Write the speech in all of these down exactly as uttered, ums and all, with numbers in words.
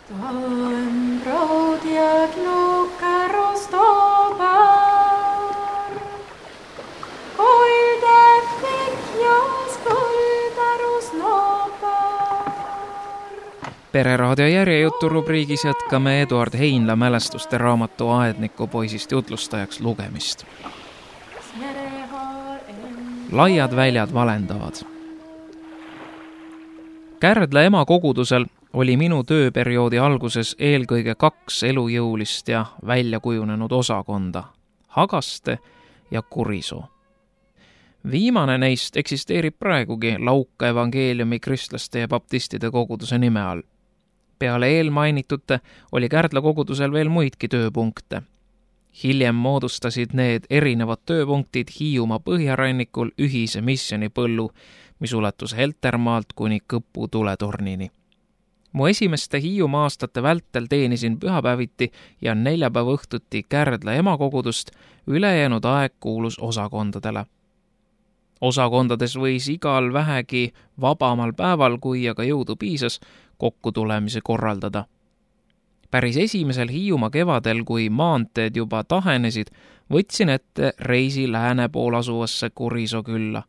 Tam proodiad lukaro stobar, koilde fikjas koldarus nopar. Pereraadio järjejutu rubriigis jätkame Eduard Heinla mälestuste raamatu Aedniku poisist jutlustajaks lugemist. Laiad väljad valendavad. Kärdla ema kogudusel oli minu tööperioodi alguses eelkõige kaks elujõulist ja väljakujunenud osakonda, Hagaste ja Kurisoo. Viimane neist eksisteerib praegugi Lauka evangeeliumi kristlaste ja baptistide koguduse nime all. Peale eelmainitute oli Kärdla kogudusel veel muidki tööpunkte. Hiljem moodustasid need erinevad tööpunktid Hiiumaa põhjarannikul ühise missionipõllu, mis ulatus Heltermaalt kuni Kõpu tuletornini. Mu esimeste Hiiumaa aastate vältel teenisin pühapäeviti ja neljapäeva õhtuti Kärdla emakogudust, ülejäänud aeg kuulus osakondadele. Osakondades võis igal vähegi vabamal päeval, kui aga jõudu piisas, kokkutulemise korraldada. Päris esimesel Hiiumaa kevadel, kui maanteed juba tahenesid, võtsin ette reisi lääne pool asuvasse Kurisoo külla.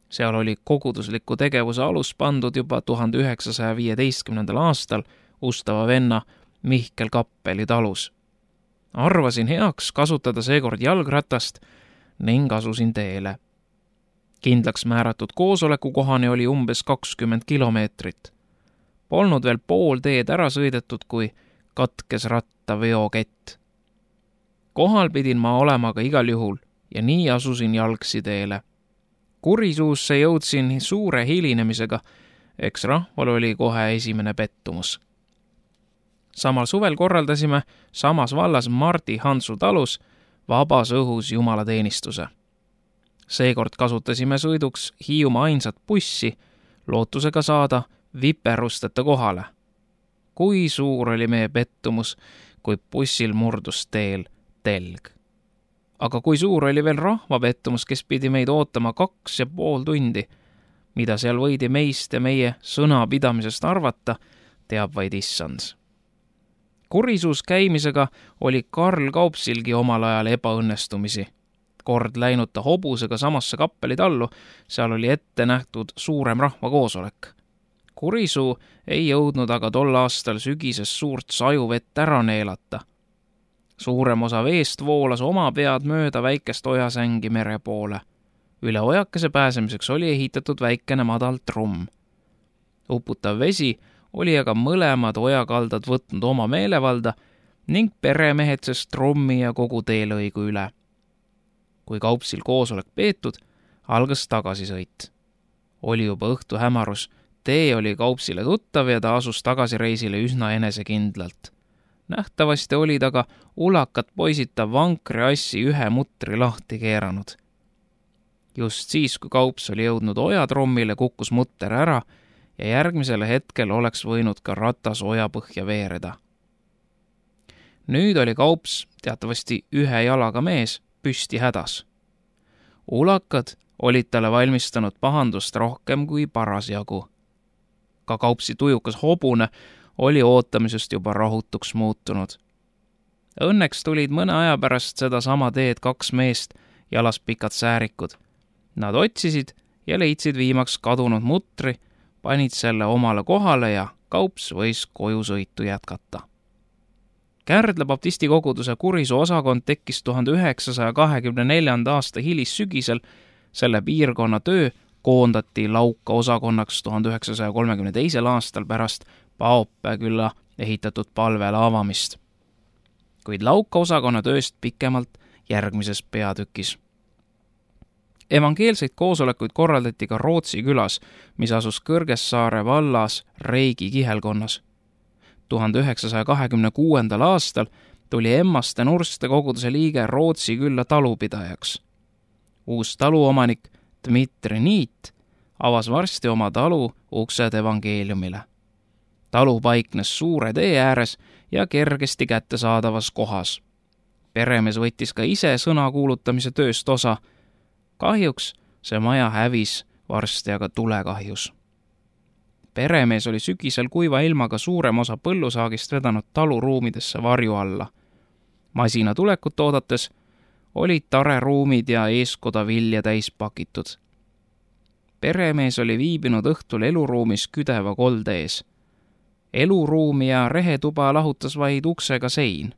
Seal oli kogudusliku tegevuse alus pandud juba tuhande üheksasaja viieteistkümnendal aastal ustava venna Mihkel Kappeli talus. Arvasin heaks kasutada seekord jalgratast ning asusin teele. Kindlaks määratud koosoleku kohani oli umbes kakskümmend kilomeetrit. Polnud veel pool teed ära sõidetud, kui katkes ratta veokett. Kohal pidin ma olema ka igal juhul ja nii asusin jalgsi teele. Kurisuusse jõudsin suure hilinemisega, eks rahval oli kohe esimene pettumus. Samal suvel korraldasime samas vallas Mardi Hansu talus vabas õhus jumalateenistuse. Seekord kasutasime sõiduks Hiiumaa ainsat bussi, lootusega saada viperusteta kohale. Kui suur oli meie pettumus, kui bussil murdus teel telg. Aga kui suur oli veel rahva pettumus, kes pidi meid ootama kaks ja pool tundi, mida seal võidi meist ja meie sõnapidamisest arvata, teab vaid issand. Kurisuus käimisega oli Karl Kaupsilgi omal ajal ebaõnnestumisi. Kord läinud ta hobusega samasse Kappeli tallu, seal oli ette nähtud suurem rahvakoosolek. Kurisuu ei jõudnud aga tol aastal sügises suurt sajuvett ära neelata. Suurem osa veest voolas oma pead mööda väikest ojasängi mere poole. Üle ojakese pääsemiseks oli ehitatud väikene madal trumm. Uputav vesi oli aga mõlemad ojakaldad võtnud oma meelevalda ning peremehed sest trummi ja kogu teelõigu üle. Kui Kaupsil koosolek peetud, algas tagasisõit. Oli juba õhtu hämarus, tee oli Kaupsile tuttav ja ta asus tagasireisile üsna enesekindlalt. Nähtavasti olid aga ulakat poisita vankri assi ühe mutri lahti keeranud. Just siis, kui Kaups oli jõudnud ojatrommile, kukkus mutter ära ja järgmisel hetkel oleks võinud ka ratas oja põhja veereda. Nüüd oli Kaups teatavasti ühe jalaga mees, püsti hädas. Ulakad olid talle valmistanud pahandust rohkem kui parasjagu. Ka Kaupsi tujukas hobune oli ootamisest juba rahutuks muutunud. Õnneks tulid mõne aja pärast seda sama teed kaks meest, jalas pikad säärikud. Nad otsisid ja leidsid viimaks kadunud mutri, panid selle omale kohale ja Kaups võis koju sõitu jätkata. Kärdla baptisti koguduse Kurisoo osakond tekkis tuhande üheksasaja kahekümne neljanda aasta hilissügisel, selle piirkonna töö koondati Lauka osakonnaks tuhande üheksasaja kolmekümne teisel aastal pärast Paopää külla ehitatud palvele avamist. Kuid Lauka osakonna tööst pikemalt järgmises peatükis. Evangeelseid koosolekuid korraldati ka Rootsi külas, mis asus Kõrgessaare vallas Reigi kihelkonnas. tuhande üheksasaja kahekümne kuuendal aastal tuli Emmaste Nurste koguduse liige Rootsi külla talupidajaks. Uus taluomanik Dmitri Niit avas varsti oma talu uksed evangeeliumile. Talu paiknes suure tee ääres ja kergesti kättesaadavas kohas. Peremees võttis ka ise sõna kuulutamise tööst osa. Kahjuks see maja hävis varsti aga tulekahjus. peremees oli sügisel kuiva ilmaga suurem osa põllusaagist vedanud taluruumidesse varju alla. Masina tulekut oodates olid tareruumid ja eeskoda vilja täis pakitud. Peremees oli viibinud õhtul eluruumis küdeva kolde ees. Eluruumi ja rehetuba lahutas vaid uksega sein.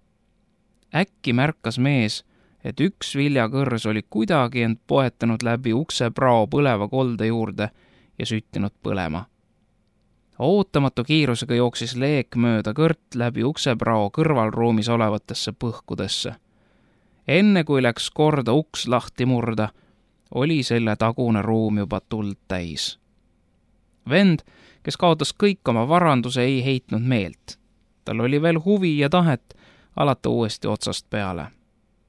Äkki märkas mees, et üks viljakõrs oli kuidagi end poetanud läbi ukse prao põleva kolde juurde ja süttinud põlema. Ootamatu kiirusega jooksis leek mööda kõrt läbi ukseprao kõrvalruumis olevatesse põhkudesse. Enne kui läks korda uks lahti murda, oli selle tagune ruum juba tuld täis. Vend, kes kaotas kõik oma varanduse, ei heitnud meelt. Tal oli veel huvi ja tahet alata uuesti otsast peale.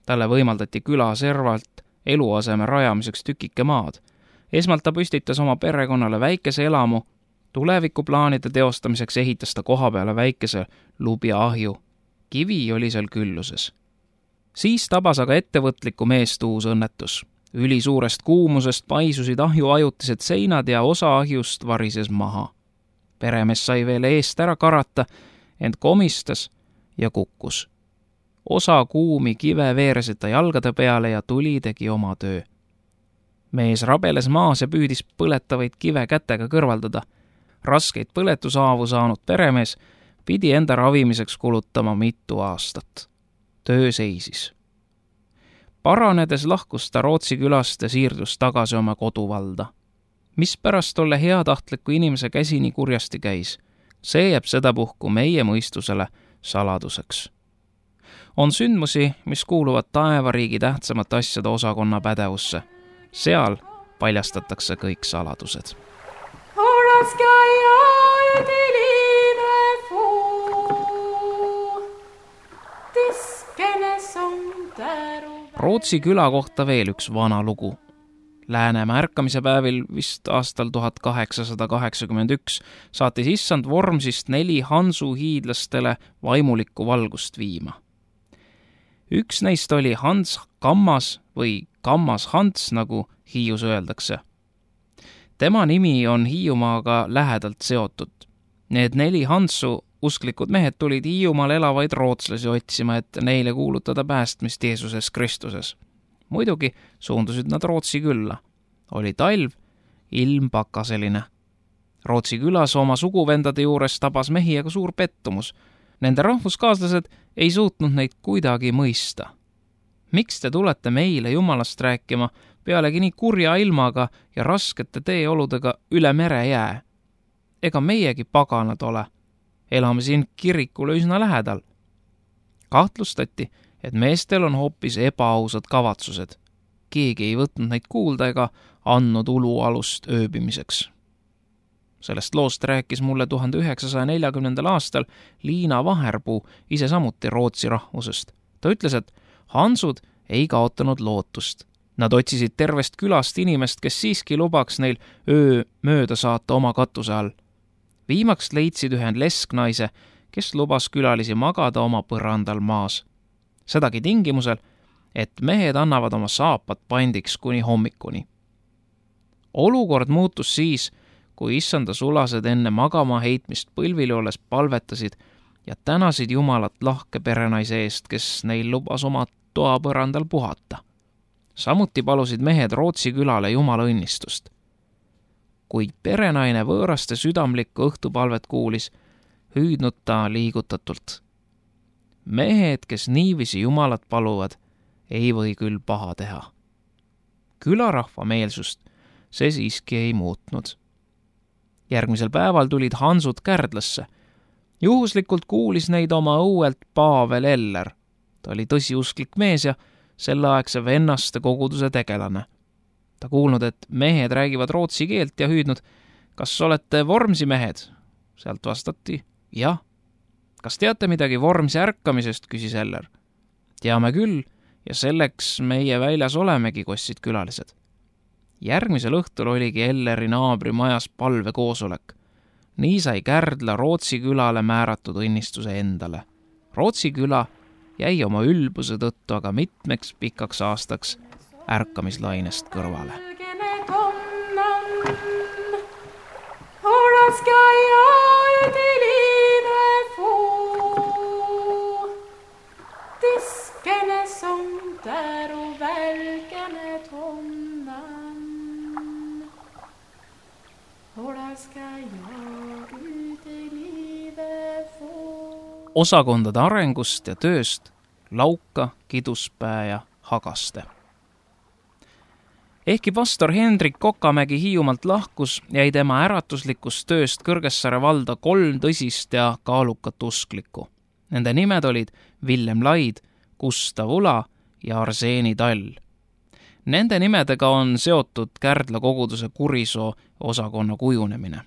Talle võimaldati küla servalt eluaseme rajamiseks tükike maad. Esmalt ta püstitas oma perekonnale väikese elamu, tulevikuplaanide teostamiseks ehitas ta koha peale väikese lubja ahju. Kivi oli seal külluses. Siis tabas aga ettevõtliku meest uus õnnetus. Ülisuurest kuumusest paisusid ahju ajutised seinad ja osa ahjust varises maha. Peremees sai veel eest ära karata, ent komistas ja kukkus. Osa kuumi kive veeresid ta jalgade peale ja tuli tegi oma töö. Mees rabeles maas ja püüdis põletavaid kive kätega kõrvaldada. Raskeid põletusaavu saanud peremees pidi enda ravimiseks kulutama mitu aastat. Töö seisis. Paranedes lahkus ta Rootsi külast ja siirdus tagasi oma koduvalda. Mispärast tolle heatahtliku inimese käsi nii kurjasti käis? See jääb sedapuhku meie mõistusele saladuseks. On sündmusi, mis kuuluvad taevariigi tähtsamate asjade osakonna pädevusse. Seal paljastatakse kõik saladused. Rootsi küla kohta veel üks vana lugu. Läänemaa ärkamise päevil, vist aastal tuhat kaheksasada kaheksakümmend üks, saatis issand Vormsist neli Hansu hiidlastele vaimulikku valgust viima. Üks neist oli Hans Kammas või Kammas Hans, nagu Hiius öeldakse. Tema nimi on Hiiumaaga lähedalt seotud. Need neli Hansu usklikud mehed tulid Hiiumaal elavaid rootslasi otsima, et neile kuulutada päästmist Jeesuses Kristuses. Muidugi suundusid nad Rootsi külla. Oli talv, ilm pakaseline. Rootsi külas oma suguvendade juures tabas mehi aga suur pettumus. Nende rahvuskaaslased ei suutnud neid kuidagi mõista. Miks te tulete meile Jumalast rääkima pealegi nii kurja ilmaga ja raskete teeoludega üle mere jää? Ega meiegi paganad ole. Elame siin kirikule üsna lähedal. Kahtlustati, et meestel on hoopis ebaausad kavatsused. Keegi ei võtnud neid kuulda ega andnud ulualust ööbimiseks. Sellest loost rääkis mulle tuhande üheksasaja neljakümnendal aastal Liina Vaherpuu, ise samuti Rootsi rahvusest. Ta ütles, et Hansud ei kaotanud lootust. Nad otsisid tervest külast inimest, kes siiski lubaks neil öö mööda saata oma katuse all. Viimaks leidsid ühe lesknaise, kes lubas külalisi magada oma põrandal maas. Sedagi tingimusel, et mehed annavad oma saapad pandiks kuni hommikuni. Olukord muutus siis, kui issanda sulased enne magama heitmist põlvili olles palvetasid ja tänasid Jumalat lahke perenaise eest, kes neil lubas oma toapõrandal puhata. Samuti palusid mehed Rootsi külale Jumala õnnistust. Kuid perenaine võõraste südamlikku õhtupalvet kuulis, hüüdnud ta liigutatult. Mehed, kes niivisi Jumalat paluvad, ei või küll paha teha. Külarahva meelsust see siiski ei muutnud. Järgmisel päeval tulid Hansud Kärdlasse. Juhuslikult kuulis neid oma õuelt Pavel Eller. Ta oli tõsiusklik mees ja selleaegse vennaste koguduse tegelane. Ta kuulnud, et mehed räägivad rootsi keelt ja hüüdnud, kas olete Vormsi mehed? Sealt vastati, jah. Kas teate midagi Vormsi ärkamisest, küsis Eller. Teame küll ja selleks meie väljas olemegi, kostsid külalised. Järgmisel õhtul oligi Elleri naabri majas palvekoosolek. Nii sai Kärdla Rootsi külale määratud õnnistuse endale. Rootsi küla jäi oma ülbuse tõttu aga mitmeks pikaks aastaks ärkamislainest kõrvale. ska jag ut i livet få. Diskene som där och välkene tonnan. Och där ska jag ut i livet få. Osakondade arengust ja tööst Lauka, Kiduspää ja Hagaste. Ehkki pastor Hendrik Kokamägi Hiiumaalt lahkus, jäi tema äratuslikust tööst Kõrgessaare valda kolm tõsist ja kaalukat usklikku. Nende nimed olid Villem Laid, Gustav Ula ja Arseeni Tall. Nende nimedega on seotud Kärdla koguduse Kurisoo osakonna kujunemine.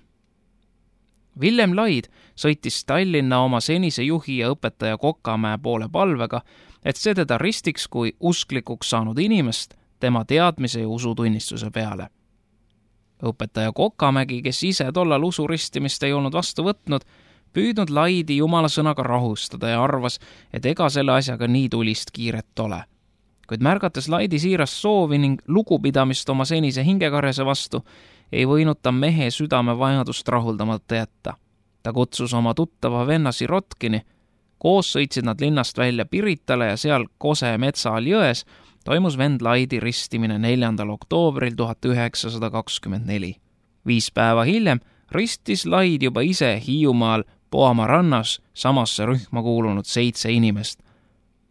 Villem Laid sõitis Tallinna oma senise juhi ja õpetaja Kokamäe poole palvega, et see teda ristiks kui usklikuks saanud inimest tema teadmise ja usutunnistuse peale. Õpetaja Kokamägi, kes ise tollal usuristimist ei olnud vastu võtnud, püüdnud Laidi jumala sõnaga rahustada ja arvas, et ega selle asjaga nii tulist kiiret ole. Kuid märgates Laidi siirast soovi ning lugupidamist oma senise hingekarjase vastu, ei võinud ta mehe südame vajadust rahuldamata jätta. Ta kutsus oma tuttava venna Sirotkini. Koos sõitsid nad linnast välja Piritale ja seal Kose metsa all jões toimus vend Laidi ristimine neljandal oktoobril tuhat üheksasada kakskümmend neli. Viis päeva hiljem ristis Laid juba ise Hiiumaal Poama rannas samasse rühma kuulunud seitse inimest.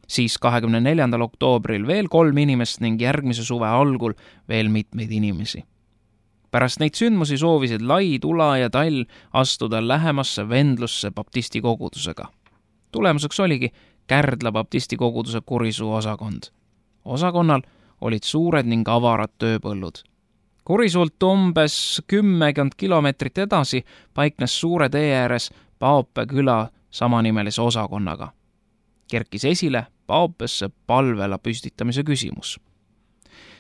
Siis kahekümne neljandal oktoobril veel kolm inimest ning järgmise suve algul veel mitmeid inimesi. Pärast neid sündmusi soovisid Laid, Ula ja Tall astuda lähemasse vendlusse baptisti kogudusega. Tulemuseks oligi Kärdla baptisti koguduse Kurisuu osakond. Osakonnal olid suured ning avarad tööpõllud. Kurisuult umbes kümmekond kilomeetrit edasi paiknes suure tee ääres Paope küla samanimelise osakonnaga. Kerkis esile Paopesse palvela püstitamise küsimus.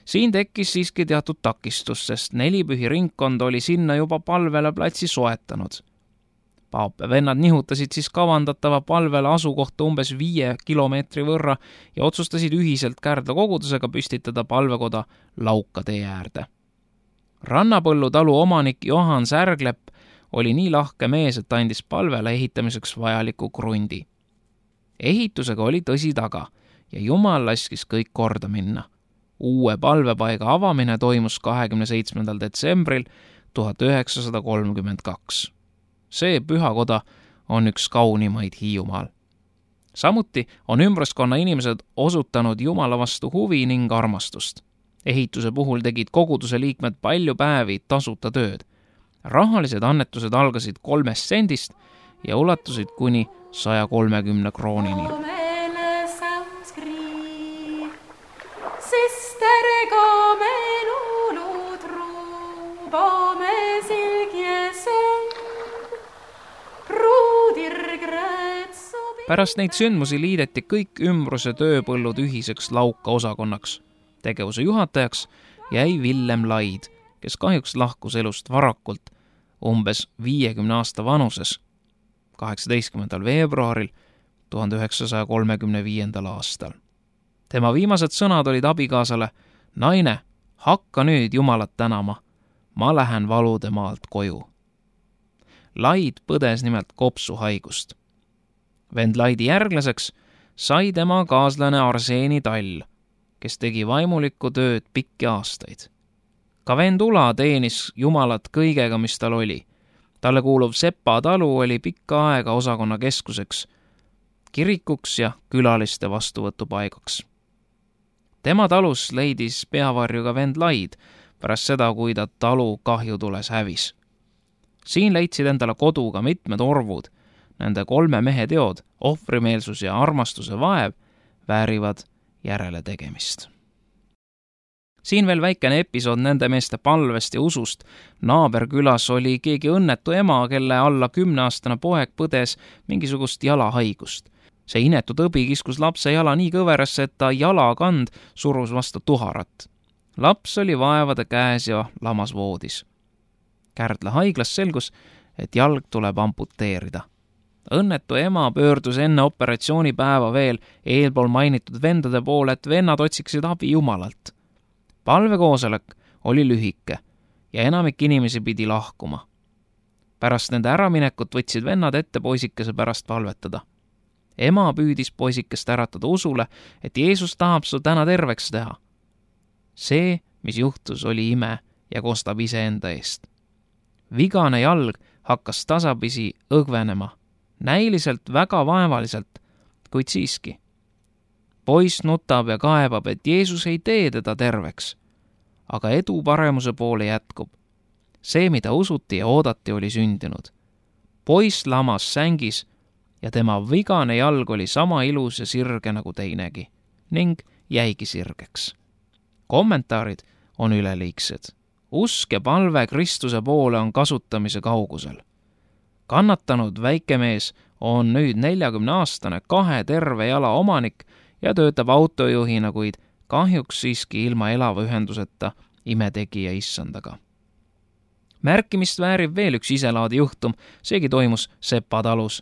Siin tekkis siiski teatud takistus, sest nelipühi ringkond oli sinna juba palvela platsi soetanud. Paope vennad nihutasid siis kavandatava palvela asukohta umbes viie kilomeetri võrra ja otsustasid ühiselt Kärdla kogudusega püstitada palvekoda Lauka tee äärde. Rannapõllu talu omanik Johan Särglepp oli nii lahke mees, et andis palvela ehitamiseks vajaliku krundi. Ehitusega oli tõsi taga ja Jumal laskis kõik korda minna. Uue palvepaiga avamine toimus kahekümne seitsmendal detsembril tuhat üheksasada kolmkümmend kaks. See pühakoda on üks kaunimaid Hiiumaal. Samuti on ümbraskonna inimesed osutanud Jumala vastu huvi ning armastust. Ehituse puhul tegid koguduse liikmed palju päevi tasuta tööd. Rahalised annetused algasid kolmest sendist ja ulatusid kuni saja kolmekümne kroonini. Pärast neid sündmusi liideti kõik ümbruse tööpõllud ühiseks Lauka osakonnaks. Tegevuse juhatajaks jäi Villem Laid, kes kahjuks lahkus elust varakult umbes viiekümne aasta vanuses kaheksateistkümnendal veebruaril tuhande üheksasaja kolmekümne viiendal aastal. Tema viimased sõnad olid abikaasale: naine, hakka nüüd Jumalat tänama, ma lähen valude maalt koju. Laid põdes nimelt kopsuhaigust. Vend Laidi järglaseks sai tema kaaslane Arseeni Tall, kes tegi vaimulikku tööd pikki aastaid. Ka vend Ula teenis Jumalat kõigega, mis tal oli. Talle kuuluv Sepa talu oli pikka aega osakonna keskuseks, kirikuks ja külaliste vastuvõtupaigaks. Tema talus leidis peavarju ka vend Laid pärast seda, kui ta talu kahjutules hävis. Siin leidsid endale kodu ka mitmed orvud. Nende kolme mehe teod, ohvrimeelsus ja armastuse vaev, väärivad järele tegemist. Siin veel väikene episood nende meeste palvest ja usust. Naaberkülas oli keegi õnnetu ema, kelle alla kümneaastane poeg põdes mingisugust jalahaigust. See inetu tõbi kiskus lapse jala nii kõverasse, et ta jalakand surus vastu tuharat. Laps oli vaevade käes ja lamas voodis. Kärdla haiglas selgus, et jalg tuleb amputeerida. Õnnetu ema pöördus enne operatsioonipäeva veel eelpool mainitud vendade poole, et vennad otsiksid abi Jumalalt. Palvekoosolek oli lühike ja enamik inimesi pidi lahkuma. Pärast nende äraminekut võtsid vennad ette poisikese pärast palvetada. Ema püüdis poisikest äratada usule, et Jeesus tahab su täna terveks teha. See, mis juhtus, oli ime ja kostab iseenda eest. Vigane jalg hakkas tasapisi õgvenema, näiliselt väga vaevaliselt, kuid siiski. Poiss nutab ja kaebab, et Jeesus ei tee teda terveks, aga edu paremuse poole jätkub. See, mida usuti ja oodati, oli sündinud. Poiss lamas sängis ja tema vigane jalg oli sama ilus ja sirge nagu teinegi ning jäigi sirgeks. Kommentaarid on üleliigsed. Usk ja palve Kristuse poole on kasutamise kaugusel. Kannatanud väikemees on nüüd neljakümneaastane kahe terve jala omanik ja töötab autojuhina, kuid kahjuks siiski ilma elava ühenduseta imetegija issandaga. Märkimist väärib veel üks iselaadi juhtum, seegi toimus Sepa talus.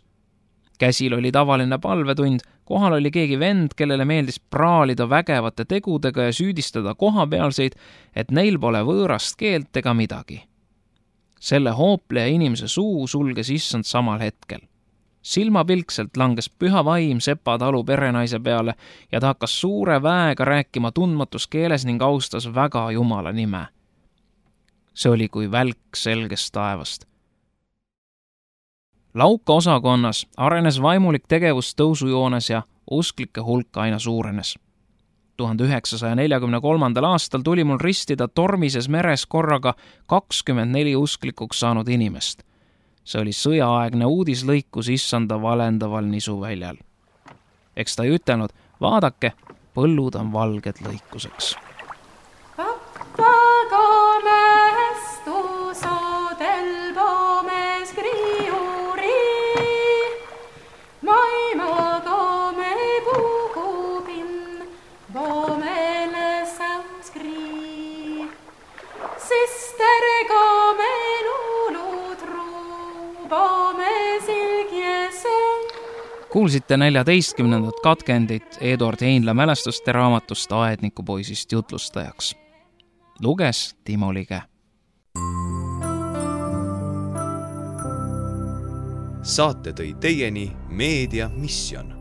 Käsil oli tavaline palvetund, kohal oli keegi vend, kellele meeldis praalida vägevate tegudega ja süüdistada kohapealseid, et neil pole võõrast keelt ega midagi. Selle hoopleja inimese suu sulges issand samal hetkel. Silmapilkselt langes püha vaim Sepa talu perenaise peale ja ta hakkas suure väega rääkima tundmatus keeles ning austas väga Jumala nime. See oli kui välk selgest taevast. Lauka osakonnas arenes vaimulik tegevus tõusujoones ja usklike hulk aina suurenes. tuhande üheksasaja neljakümne kolmandal aastal tuli mul ristida tormises meres korraga kakskümmend neli usklikuks saanud inimest. See oli sõjaaegne uudislõikus issanda valendaval nisuväljal. Eks ta ei ütelnud, vaadake, põllud on valged lõikuseks. Kuulsite neljateistkümnendat katkendit Eduard Heinla mälestuste raamatust Aednikupoisist jutlustajaks. Luges Timo Lige. Saate tõi teieni Meedia Mission.